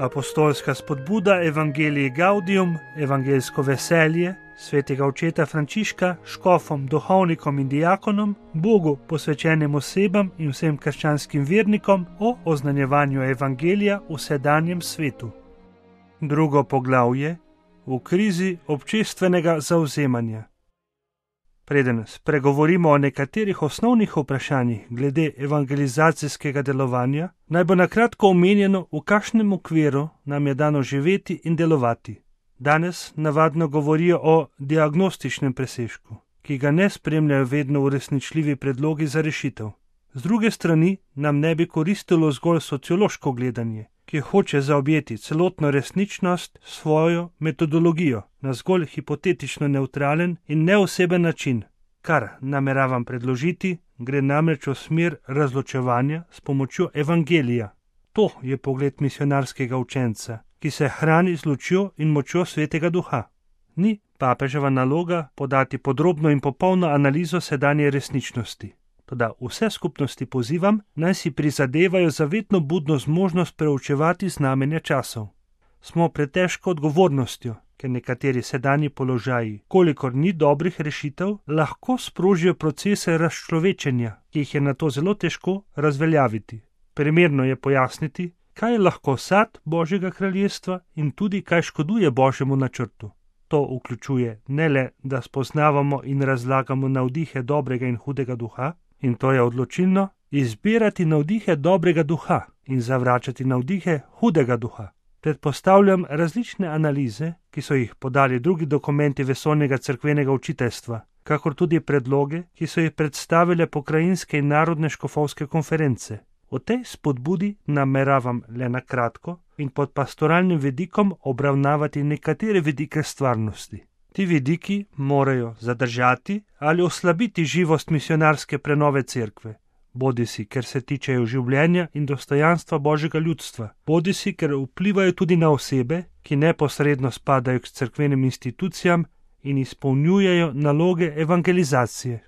Apostolska spodbuda Evangelii Gaudium, evangeljsko veselje, svetega očeta Frančiška, škofom, duhovnikom in diakonom, Bogu posvečenim osebam in vsem krščanskim vernikom o oznanjevanju evangelija v sedanjem svetu. Drugo poglavje: v krizi občestvenega zavzemanja. Preden spregovorimo o nekaterih osnovnih vprašanjih glede evangelizacijskega delovanja, naj bo na kratko omenjeno, v kakšnem okviru nam je dano živeti in delovati. Danes navadno govorijo o diagnostičnem presežku, ki ga ne spremljajo vedno uresničljivi predlogi za rešitev. Z druge strani nam ne bi koristilo zgolj sociološko gledanje, ki hoče zaobjeti celotno resničnost s svojo metodologijo na zgolj hipotetično nevtralen in neoseben način. Kar nameravam predložiti, gre namreč v smer razločevanja s pomočjo evangelija. To je pogled misionarskega učenca, ki se hrani z lučjo in močjo Svetega Duha. Ni papeževa naloga podati podrobno in popolno analizo sedanje resničnosti. Toda vse skupnosti pozivam, naj si prizadevajo za vedno budno zmožnost preučevati znamenja časov. Smo pred težko odgovornostjo, ker nekateri sedanji položaji, kolikor ni dobrih rešitev, lahko sprožijo procese razčlovečenja, ki jih je nato zelo težko razveljaviti. Primerno je pojasniti, kaj je lahko sad Božjega kraljestva in tudi kaj škoduje Božjemu načrtu. To vključuje ne le, da spoznavamo in razlagamo navdihe dobrega in hudega duha, in to je odločilno, izbirati navdihe dobrega duha in zavračati navdihe hudega duha. Predpostavljam različne analize, ki so jih podali drugi dokumenti vesoljnega cerkvenega učiteljstva, kakor tudi predloge, ki so jih predstavile pokrajinske in narodne škofovske konference. O tej spodbudi nameravam le na kratko in pod pastoralnim vidikom obravnavati nekatere vidike stvarnosti. Ti vidiki morajo zadržati ali oslabiti živost misionarske prenove cerkve, bodisi ker se tičejo življenja in dostojanstva Božjega ljudstva, bodisi ker vplivajo tudi na osebe, ki neposredno spadajo k cerkvenim institucijam in izpolnjujejo naloge evangelizacije.